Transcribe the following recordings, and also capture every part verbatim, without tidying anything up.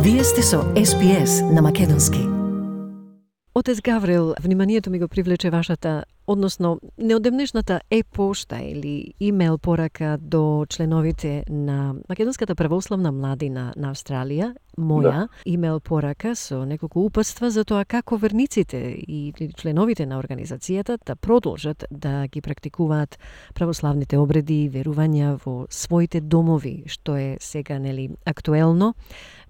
Вие сте со Ес Би Ес на македонски. Отец Гаврил, вниманието ми го привлече вашата, односно неодемнешната е-пошта или имейл порака до членовите на Македонската православна младина на Австралија, моја да. имейл порака со неколку упатства за тоа како верниците и членовите на организацијата да продолжат да ги практикуваат православните обреди и верувања во своите домови, што е сега нели актуелно,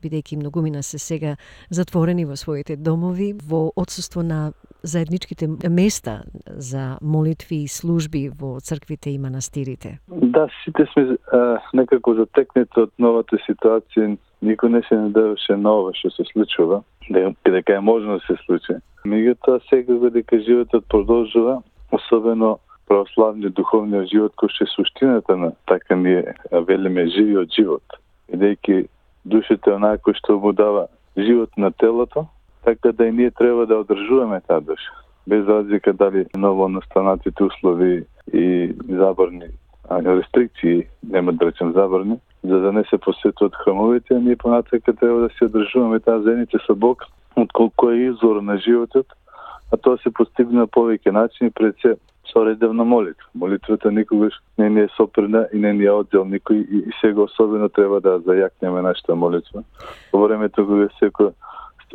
бидејќи многумина се сега затворени во своите домови во отсуство на заедничките места за молитви и служби во црквите и манастирите. Да, сите сме а, некако затекнети од новата ситуација. Никој не се надеваше на ова што се случува, дека е можно да се случи. Меѓутоа сега дека животот продолжува, особено православниот духовниот живот, кој што е суштината на така ние велиме живиот живот. Бидејќи душата е онако што му дава живот на телото, така да и ние треба да одржуваме таа душа. Без разлика дали ново настанатите услови и забрани, а рестрикции, нема да речем забрани, за да не се посетуваат храмовите, а ние понатака треба да се одржуваме таа заедница со Бог, отколку е извор на животот, а тоа се постигне на повеќе начини, пред се со редовна молитва. Молитвата никогаш не ни е сопрена и не ни е оддел никој, и сега особено треба да зајакнеме нашата молитва. Во времето кога секој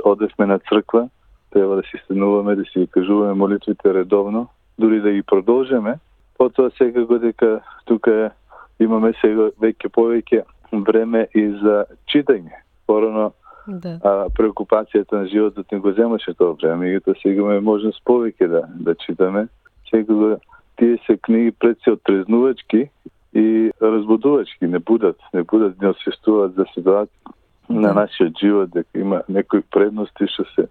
одевме на црква, треба да си стенуваме, да си кажуваме молитвите редовно, дури да ги продолжиме. Потоа сега годека тука имаме сега веќе повеќе време и за читање. Порано да. а, преокупацијата на животот не го земаше тоа време, и тоа сега имаме можност повеќе да, да читаме. Сега тие се книги пред се отрезнувачки и разбудувачки, не будат, не будат, не освестуваат за ситуација на нашиот живот, дека има некои предности што се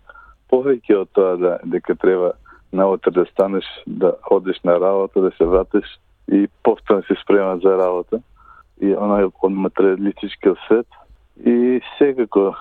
повеќе од тоа да, дека треба наутре да станеш, да одеш на работа, да се вратиш и повторно се спрема за работа. И она е од материалистичкиот свет. И секако,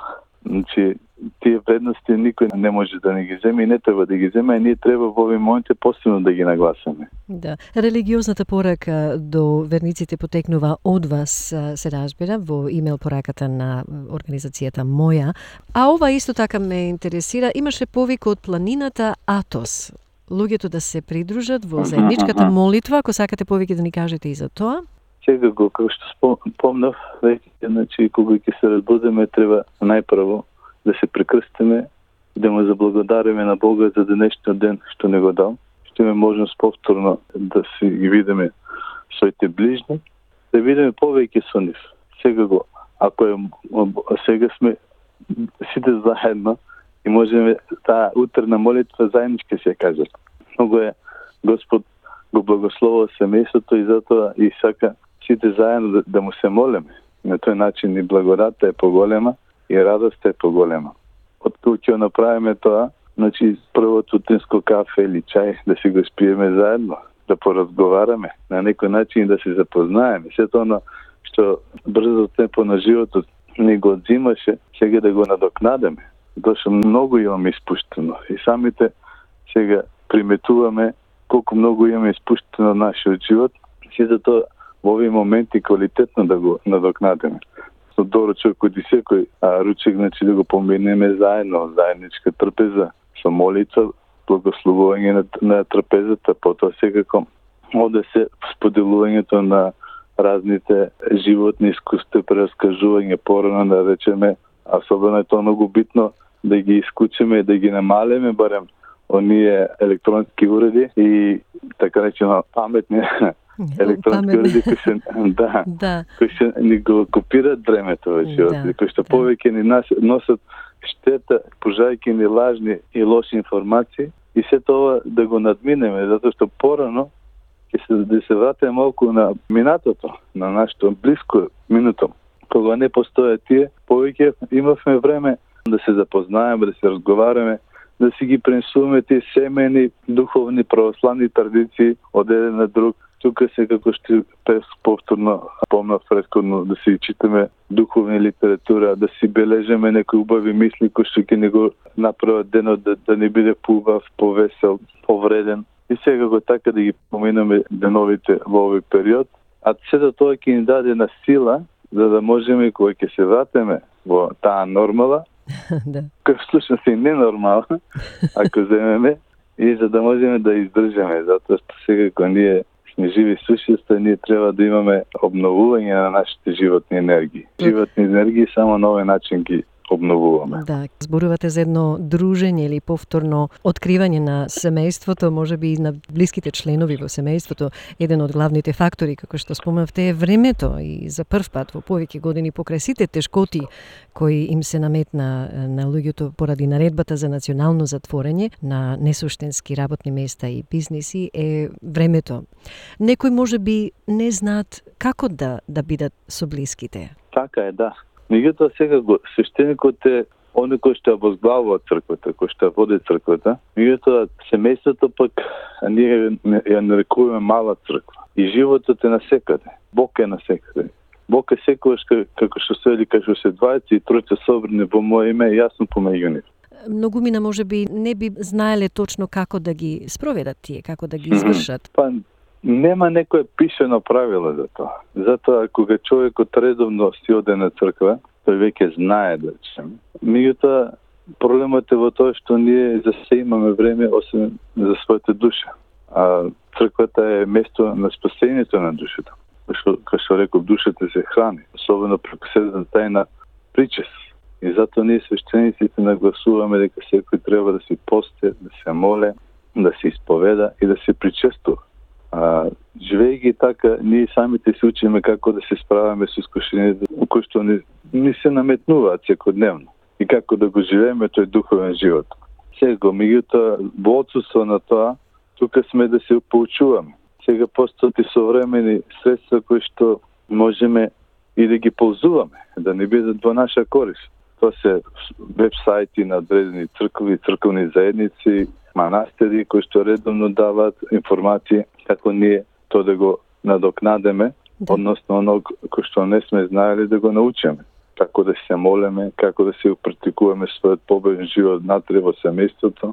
значи, тие предности никој не може да не ги земе и не треба да ги земе, и ние треба во овие моменти посебно да ги нагласаме. Да. Религиозната порака до верниците потекнува од вас, се разбира, во имейл пораката на организацијата Моја. А ова исто така ме интересира, имаше повик од планината Атос. Луѓето да се придружат во заедничката молитва, ако сакате повеќе да ни кажете и за тоа. Сега го, како што спомнав, веќе, значи, кога ќе се разбудиме, треба најпрво да се прекрстиме и да му заблагодариме на Бога за денешниот ден што не го дал. Што имаме можност повторно да си ги видиме своите ближни, да видиме повеќе со нив. Сега го, ако е, сега сме сите заедно и можеме таа утрена молитва заеднички се кажат. Многу е Господ го благословува семејството и затоа и сака сите заедно да, да му се молиме. На тој начин и благодата е поголема и радоста е поголема. Откако ќе направиме тоа, значи првото утринско кафе или чај да си го спиеме заедно, да поразговараме, на некој начин да се запознаеме. Сето оно што брзо темпо на животот не го одзимаше, сега да го надокнадеме. Дошо многу имаме испуштено и самите сега приметуваме колку многу имаме испуштено нашиот живот, си за тоа во овие моменти квалитетно да го надокнадеме. Со доручок од секој а, ручек, значи да го поминеме заедно, заедничка трпеза, со молитва, благословување на, на трпезата, потоа секако оде се споделувањето на разните животни искуства, прераскажување порано, да речеме, особено е тоа многу битно да ги искучиме, да ги намалиме барем оние електронски уреди и така речено паметни електронски уреди кои се да, да. кои се ни го копираат времето во животот, да, кои што да. повеќе ни носат штета, пужајќи ни лажни и лоши информации, и се тоа да го надминеме, затоа што порано ќе се да се вратиме малку на минатото, на нашето блиско минуто. Кога не постојат тие, повеќе имавме време да се запознаеме, да се разговараме, да си ги пренесуваме тие семени, духовни, православни традиции од еден на друг. Тука се како што повторно помнав претходно да си читаме духовни литература, да си бележеме некои убави мисли кои што ќе не го направат денот да, да не биде поубав, повесел, повреден. И сега го така да ги поминаме деновите во овој период, а сето тоа ќе ни даде на сила за да можеме кога ќе се вратиме во таа нормала, да. која всушност е ненормална, ако земеме, и за да можеме да издржаме, затоа што сега кога ние сме живи сушества, ние треба да имаме обновување на нашите животни енергии. Животни енергии само на овој начин ги обновуваме. Да, зборувате за едно дружење или повторно откривање на семејството, можеби и на блиските членови во семејството. Еден од главните фактори, како што спомнавте, е времето и за прв пат во повеќе години покрај сите тешкоти кои им се наметна на луѓето поради наредбата за национално затворање на несуштенски работни места и бизниси е времето. Некои можеби не знаат како да да бидат со блиските. Така е, да. Меѓутоа сега го свештеникот е оној кој што ја возглавува црквата, кој што ја води црквата. Меѓутоа семејството пак ние ја нарекуваме мала црква. И животот е насекаде. Бог е насекаде. Бог е секогаш како што се вели, како се двајца и тројца собрани во моје име, јасно помеѓу нив. Многумина можеби не би знаеле точно како да ги спроведат тие, како да ги извршат. Па нема некое пишено правило за тоа. Затоа кога човекот редовно си оде на црква, тој веќе знае да речеме. Меѓутоа проблемот е во тоа што ние за се имаме време освен за својата душа. А црквата е место на спасението на душата. Што, како што реков, душата се храни, особено преку седмата тајна причест. И затоа ние свештениците нагласуваме дека секој треба да се пости, да се моле, да се исповеда и да се причестува. А, живејќи така, ние самите се учиме како да се справяме со искушението, кои што ни, ни се наметнуваат секојдневно и како да го живееме тој духовен живот. Сега, меѓутоа, во отсутство на тоа, тука сме да се поучуваме. Сега постојат и современи средства кои што можеме и да ги ползуваме, да не бидат во наша корист. Тоа се веб-сајти на одредени цркви, црковни заедници, манастири кои што редовно даваат информации како ние тоа да го надокнадеме, да. Односно оно кој што не сме знаели да го научиме. Како да се молеме, како да се практикуваме својот победен живот натре во семејството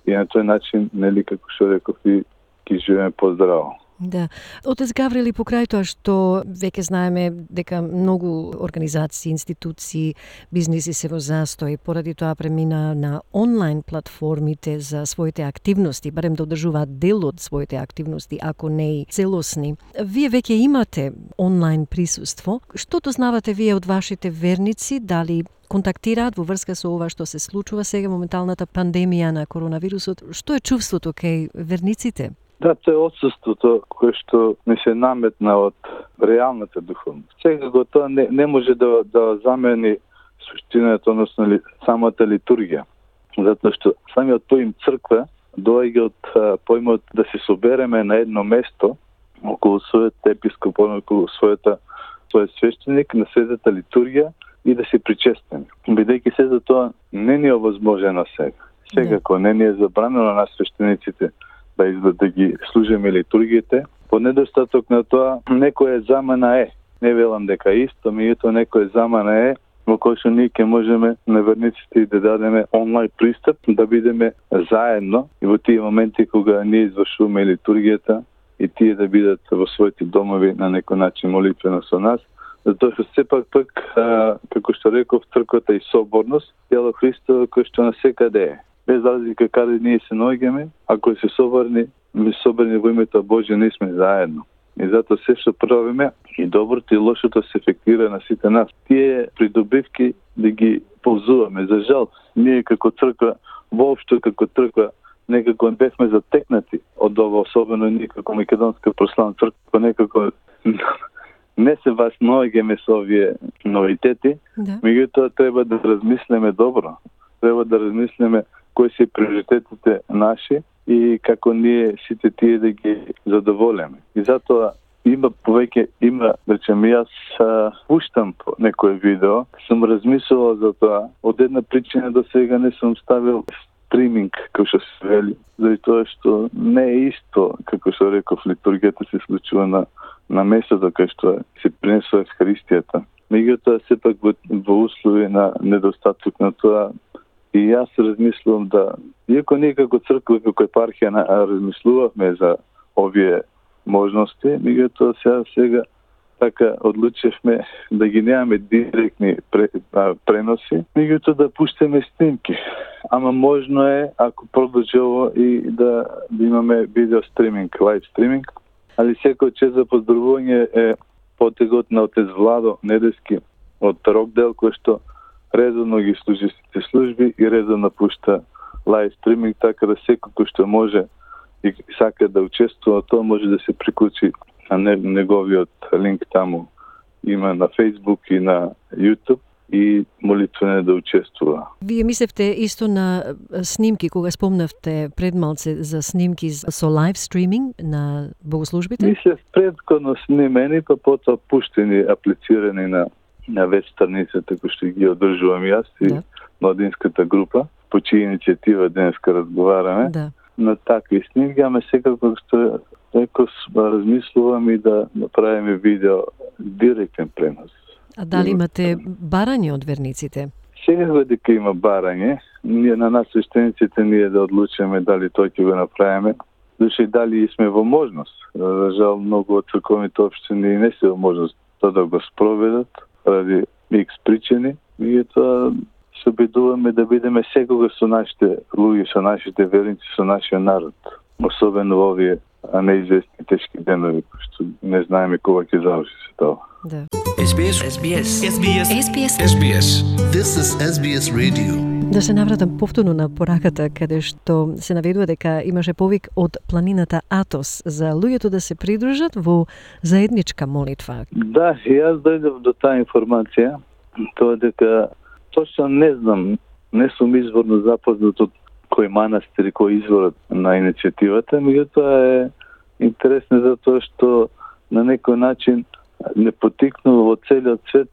и на тој начин, нели, како што реков, и ќе живееме поздраво. Да. Отец Гаврил, и покрај тоа што веќе знаеме дека многу организации, институции, бизниси се во застој, поради тоа премина на онлайн платформите за своите активности, барем да одржуваат дел од своите активности, ако не и целосни. Вие веќе имате онлайн присуство. Што дознавате вие од вашите верници? Дали контактираат во врска со ова што се случува сега, моменталната пандемија на коронавирусот? Што е чувството кај верниците? Да, тоа е отсутството кое што не се наметна од реалната духовност. Сега го тоа не, не може да, да замени суштината, односно ли, самата литургија. Затоа што самиот поим црква доаѓа од а, поимот да се собереме на едно место околу својот епископ, околу својата својот свештеник, на светата литургија и да се причестиме. Бидејќи се за тоа не ни е овозможено сега. Сега, кога не ни е забрането на нас свештениците да изда да ги служиме литургиите, по недостаток на тоа некоја замена е. Не велам дека исто, меѓутоа некоја замена е во кој што ние ќе можеме на верниците да дадеме онлайн пристап, да бидеме заедно и во тие моменти кога ние извршуваме литургијата и тие да бидат во своите домови на некој начин молитвено со нас, затоа што сепак пак, а, како што реков, црквата и соборност, тело Христово кој што насекаде е. Без разлика каде ние се наоѓаме, ако се соборни, ми соборни во името Божје, ние сме заедно. И затоа се што правиме, и доброто и лошото се ефектира на сите нас. Тие придобивки да ги ползуваме. За жал, ние како црква, воопшто како црква, некако бевме затекнати од ова, особено ние како Македонска православна црква, некако не се вас наоѓаме со овие новитети, да. Меѓутоа треба да размислиме добро. Треба да размислиме кои се приоритетите наши и како ние сите тие да ги задоволиме. И затоа има повеќе, има, речем, јас пуштам некој видео, сум размислувал за тоа. Од една причина до сега не сум ставил стриминг, како што се вели, заради тоа што не е исто, како што реков, литургијата се случува на, на местото кај што се принесува Евхаристијата. Меѓутоа, сепак во, во услови на недостаток на тоа, и јас размислувам да, иако ние како црква, како епархија размислувавме за овие можности, меѓутоа сега, сега така одлучевме да ги немаме директни преноси, меѓутоа да пуштаме снимки. Ама можно е, ако продолжи ово, и да, да имаме видео стриминг, лайв стриминг. Али секој чест за поздравување е потегот на отец Владо Недески од Рокдел, кој што редовно ги служи сите служби и редовно пушта лайв стриминг, така да секој кој што може и сака да учествува, тоа може да се приклучи на неговиот линк таму. Има на Facebook и на YouTube и молитвено да учествува. Вие мислевте исто на снимки, кога спомнавте пред малце за снимки со лайв стриминг на богослужбите? Мислев предходно снимени, па потоа пуштени, аплицирани на, на веб страницата, кој што ги одржувам јас и да. Младинската група, по чија иницијатива денеска разговараме. Да. На такви снимки, ама секако што некој размислувам и да направиме видео директен пренос. А дали имате барање од верниците? Секако дека има барање. Ние на нас свештениците ние да одлучиме дали тој ќе го направиме. Души дали сме во можност. За жал многу од црковните општини не се во можност тоа да го спроведат ради икс причини. И тоа се обидуваме да бидеме секога со нашите луѓе, со нашите верници, со нашиот народ. Особено во овие неизвестни тешки денови, што не знаеме кога ќе заврши се тоа. Да. Ес Би Ес. Ес Би Ес. Ес Би Ес. Ес Би Ес. Ес Би Ес. This is Ес Би Ес Radio. Да се навратам повторно на пораката, каде што се наведува дека имаше повик од планината Атос за луѓето да се придружат во заедничка молитва. Да, јас дојдов до таа информација, тоа дека точно не знам, не сум изворно запознат од кој манастир и кој изворот на иницијативата, меѓутоа е интересно затоа што на некој начин не потикнува во целиот свет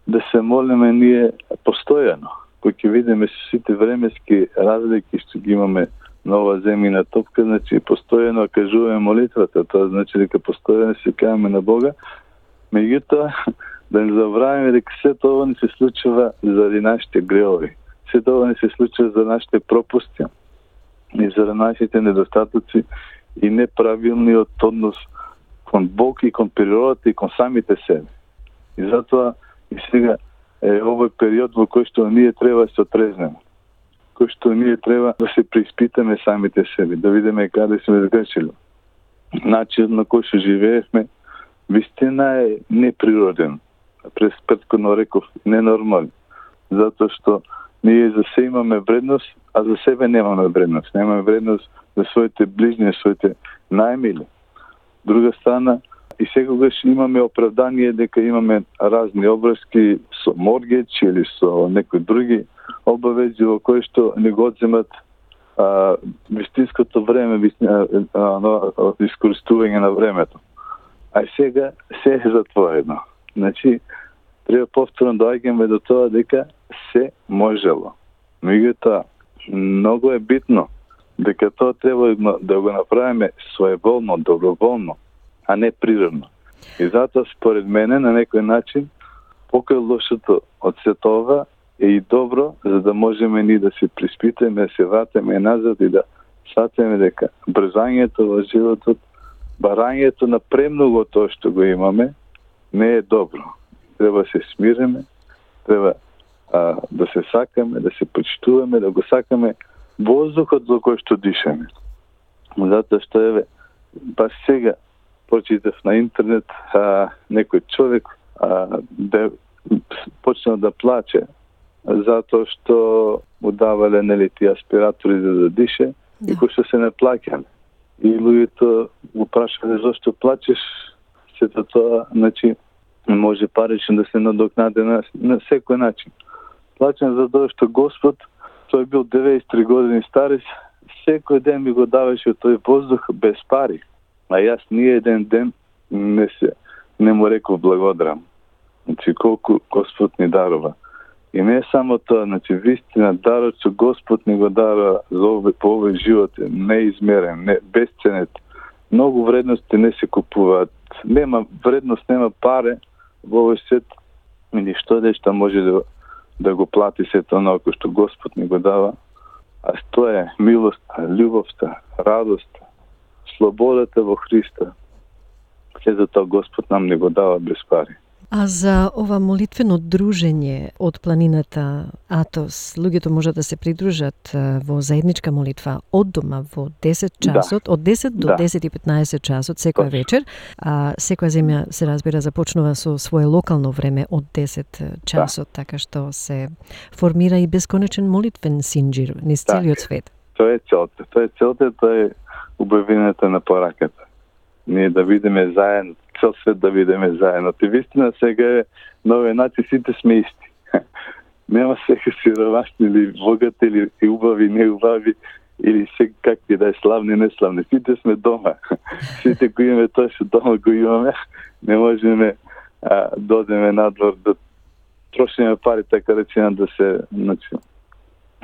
да се молиме ние постојано. Кој ќе видиме сите временски разлики што ги имаме на ова земјина топка, значи постојано кажуваме молитвата, тоа значи дека постојано се кајаме на Бога. Меѓутоа да не забравиме дека се тоа не се случува заради нашите греови. Се тоа не се случува за нашите пропусти и за нашите недостатоци и неправилниот однос кон Бог и кон природата и кон самите себе. И затоа и сега е овој период во кој што ние треба да се отрезнеме. Кој што ние треба да се преиспитаме самите себе, да видиме каде сме сгрешили. Начинот на кој што живеевме вистина е неприроден. През предходно реков ненормален. Затоа што ние за се имаме вредност, а за себе немаме вредност. Немаме вредност за своите ближни, своите најмили. Друга страна, и секогаш имаме оправдание дека имаме разни обврски со моргеч или со некои други обавези во кои што не го одземат а, вистинското време, искористување на времето. А и сега се е затворено. Значи, треба повторно доаѓаме до тоа дека се можело. Меѓутоа, многу е битно дека тоа треба да го направиме своеволно, доброволно, а не природно. И затоа, според мене, на некој начин, покај лошото од се тоа е и добро, за да можеме ни да се приспитаме, да се вратиме назад и да сватиме дека брзањето во животот, барањето на премногу тоа што го имаме, не е добро. Треба да се смиреме, треба а, да се сакаме, да се почитуваме, да го сакаме воздухот во кој што дишаме. Затоа што еве, баш сега почитав на интернет а, некој човек а, да почнал да плаче затоа што му давале нели тие аспиратори за да дише, да. И кој што се не плаќале. И луѓето го прашале зошто плачеш, сето тоа, значи, може парично да се надокнаде на, на секој начин. Плачам за тоа што Господ, тој бил деветдесет и три години старец, секој ден ми го даваше тој воздух без пари. А јас ни еден ден не се не му реков благодарам. Значи колку Господ ни дарува. И не само тоа, значи вистина дарот што Господ ни го дарува за овој по овој живот е неизмерен, не бесценет. Многу вредности не се купуваат. Нема вредност, нема паре во овој свет. И што нешто може да да го плати сето оно што Господ ни го дава. А тоа е милоста, љубовта, радоста, слободата во Христа. се за тоа Господ нам не го дава без пари. А за ова молитвено дружење од планината Атос, луѓето можат да се придружат во заедничка молитва од дома во десет часот, да. од десет до да. десет и петнаесет часот секоја вечер, а секоја земја се разбира започнува со свое локално време од десет часот, да. така што се формира и бесконечен молитвен синџир низ целиот свет. Тоа е целта, тоа е целта, тоа е убавината на пораката. Ние да видиме заедно, цел свет да видиме заедно. Ти вистина сега е на овој начин сите сме исти. Нема сега сиромашни или богати или убави, неубави или се какви да е славни, неславни. Сите сме дома. Сите кои имаме тоа што дома го имаме, не можеме а, да одеме надвор да трошиме пари, така речено да се, значи,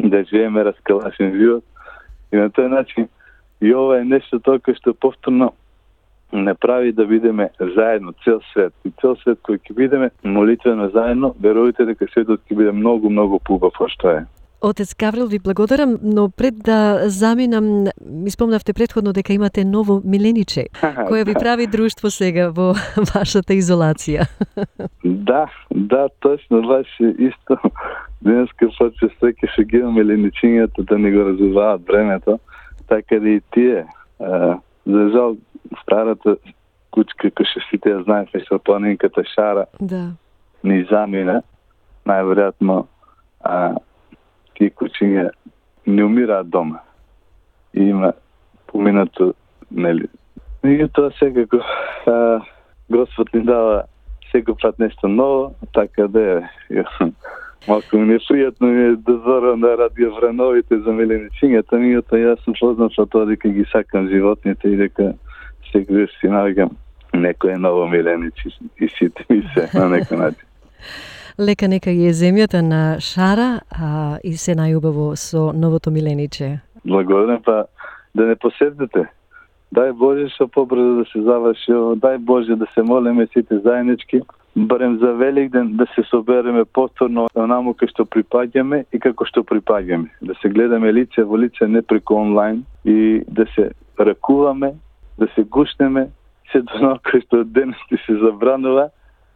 да живееме раскалашен живот. И на тој начин и ова е нешто тоа што повторно не прави да видиме заедно цел свет. И цел свет кој ќе видиме молитвено заедно, верувате дека светот ќе биде многу, многу поубав од што е. Отец Гаврил, ви благодарам, но пред да заминам, ми спомнавте претходно дека имате ново милениче, кое ви прави друштво сега во вашата изолација. Да, да, точно, баш исто. Денеска почва секи што ги имаме миленичињата да не го разуваат времето, така да и тие. За жал, старата кучка, кој што сите ја знаеме, со планинката Шара, да. ни замина, најверојатно а, тие кучиња не умираат дома. И има поминато, нели. И тоа секако а, Господ ни дава секој пат нешто ново, така да е. Малко ми е пријатно ми е да зорам да радија врановите за миленичињата, мијата јас сум познат со тоа дека ги сакам животните и дека секој си наоѓам некој ново миленичи и сите ми се на некој начин. Лека нека е земјата на Шара, а и се најубаво со новото милениче. Благодарам, па да не посетите. Дај Боже што побрзо да се заврши, дај Боже да се молиме сите заеднички, барем за Великден да се собереме повторно онаму кај што припаѓаме и како што припаѓаме. Да се гледаме лице во лице, не преку онлайн, и да се ракуваме, да се гушнеме, се до оно кај што денес ти се забранува,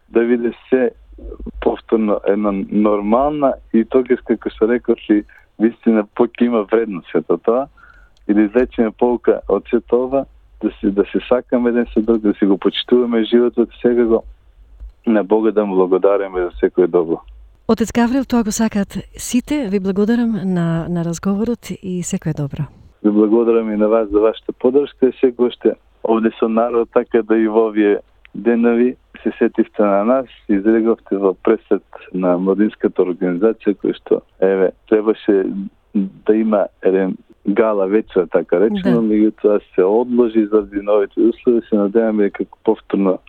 да види се повторно една нормална и тогаш, како што реков, и вистина поќе има вредност сето тоа, и да извлечеме полка од сето ова, да се, да се сакаме еден со друг, да се го почитуваме животот, сега го на Бога да му благодариме за секој добро. Отец Гаврил, тоа го сакат сите. Ви благодарам на, на разговорот и секој добро. Ви благодарам и на вас за вашата поддршка и секој ще овде со народ, така да и во овие денови се сетивте на нас, изреговте во пресет на младинската организација, кој што, еве, требаше да има еден гала вечер, така речено, да. Меѓутоа се одложи заради новите услови, се надеваме дека повторно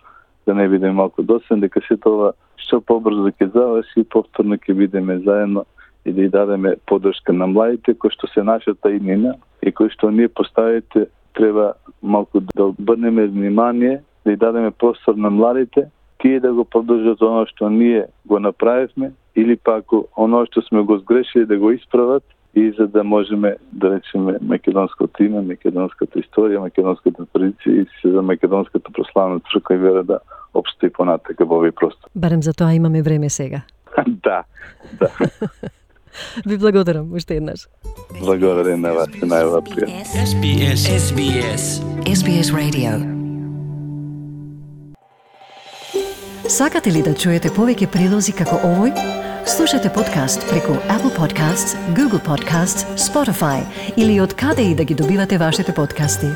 да не бидеме малку досадни, дека се тоа што побрзо ќе заврши, повторно ќе бидеме заедно и да ја дадеме поддршка на младите, кои што се нашата иднина и кои што ние поставите, треба малку да обрнеме внимание, да ја дадеме простор на младите, тие да го продолжат оно што ние го направивме, или пак оно што сме го сгрешили да го исправат, и за да можеме да речеме македонското име, македонската историја, македонската традиција и се за македонската прославна црква и вера да опстои понатака во овој простор. Барем за тоа имаме време сега. Да, да. Ви благодарам уште еднаш. Благодарам на вас, најава пријатно. Ес Би Ес. Ес Би Ес. Ес Би Ес Radio. Сакате ли да чуете повеќе прилози како овој? Слушате подкаст преку Apple Podcasts, Google Podcasts, Spotify или од каде и да ги добивате вашите подкасти.